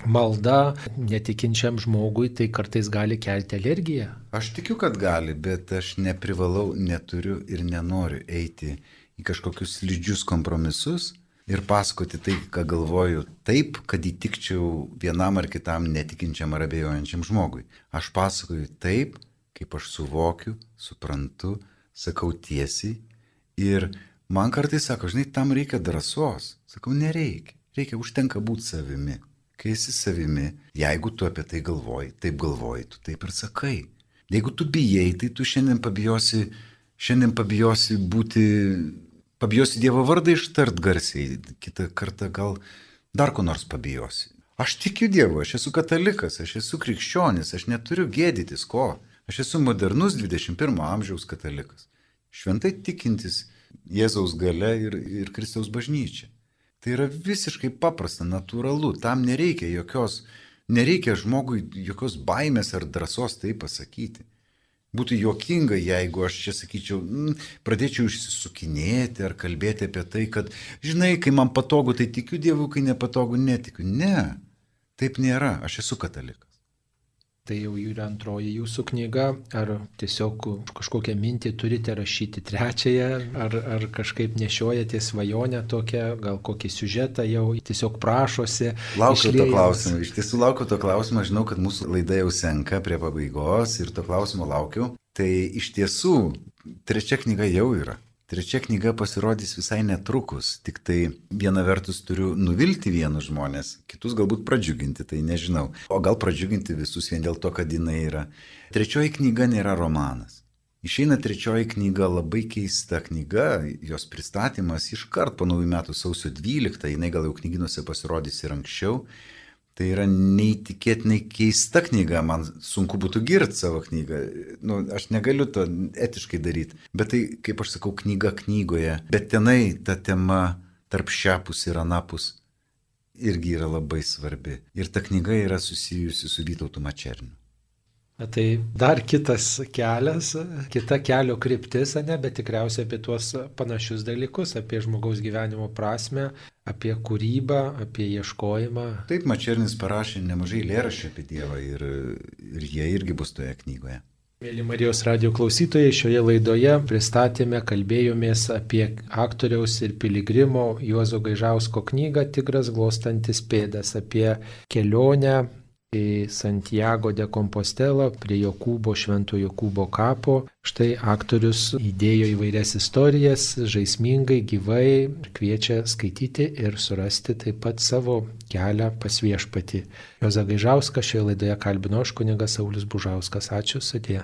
malda netikinčiam žmogui tai kartais gali kelti alergiją. Aš tikiu, kad gali, bet aš neprivalau, neturiu ir nenoriu eiti į kažkokius slidžius kompromisus ir pasakoti tai, ką galvoju, taip, kad įtikčiau vienam ar kitam netikinčiam ar abejojančiam žmogui. Aš pasakoju taip, kaip aš suvokiu, suprantu, sakau tiesiai ir man kartais sako, žinai, tam reikia drąsos. Sakau, nereikia, reikia, užtenka būti savimi. Kai esi savimi, jeigu tu apie tai galvoji, taip galvoji, tu taip ir sakai. Jeigu tu bijai, tai tu šiandien pabijosi, šiandien pabijosi būti, pabijosi Dievo vardą ištart garsiai, kitą kartą gal dar ko nors pabijosi. Aš tikiu Dievu, aš esu katalikas, aš esu krikščionis, aš neturiu gėdytis ko. Aš esu modernus dvidešimt pirmo amžiaus katalikas. Šventai tikintis Jėzaus galia ir, ir Kristaus bažnyčia. Tai yra visiškai paprasta, natūralu, tam nereikia jokios, nereikia žmogui jokios baimės ar drąsos tai pasakyti. Būtų juokinga, jeigu aš čia sakyčiau, mm, pradėčiau išsisukinėti ar kalbėti apie tai, kad, žinai, kai man patogu, tai tikiu Dievu, kai nepatogu, netikiu. Ne, taip nėra, aš esu katalikas. Tai jau yra antroji jūsų knyga, ar tiesiog kažkokią mintį turite rašyti trečiąją, ar, ar kažkaip nešiojate svajonę tokią, gal kokį siužetą jau tiesiog prašosi. Laukiu to klausimo, iš tiesų laukiu to klausimo, žinau, kad mūsų laida jau senka prie pabaigos ir to klausimo laukiu. Tai iš tiesų trečia knyga jau yra. Trečia knyga pasirodys visai netrukus, tik tai viena vertus turiu nuvilti vienus žmonės, kitus galbūt pradžiuginti, tai nežinau. O gal pradžiuginti visus vien dėl to, kad jinai yra. Trečioji knyga nėra romanas. Išeina trečioji knyga, labai keista knyga, jos pristatymas iškart po naujų metų sausio dvyliktą, jinai gal jau knyginuose pasirodys ir anksčiau. Tai yra neįtikėtinai keista knyga, man sunku būtų girti savo knygą, nu, aš negaliu to etiškai daryti, bet tai, kaip aš sakau, knyga knygoje, bet tenai ta tema tarp šiapus ir anapus irgi yra labai svarbi. Ir ta knyga yra susijusi su Vytautu Mačerniu. Tai dar kitas kelias, kita kelio kryptis, ne, bet tikriausiai apie tuos panašius dalykus, apie žmogaus gyvenimo prasmę, apie kūrybą, apie ieškojimą. Taip, Mačernis parašė nemažai eilėraščių apie Dievą ir, ir jie irgi bus toje knygoje. Mėly Marijos radijo klausytojai, šioje laidoje pristatėme, kalbėjomės apie aktoriaus ir piligrimo Juozo Gaižausko knygą Tigras glostantis pėdas, apie kelionę į Santiago de Compostela prie Jokūbo, Švento Jokūbo kapo. Štai aktorius įdėjo įvairias istorijas, žaismingai, gyvai, kviečia skaityti ir surasti taip pat savo kelią pas Viešpatį. Juozą Gaižauską šioje laidoje kalbino aš, kunigas Saulius Bužauskas. Ačiū, sudie.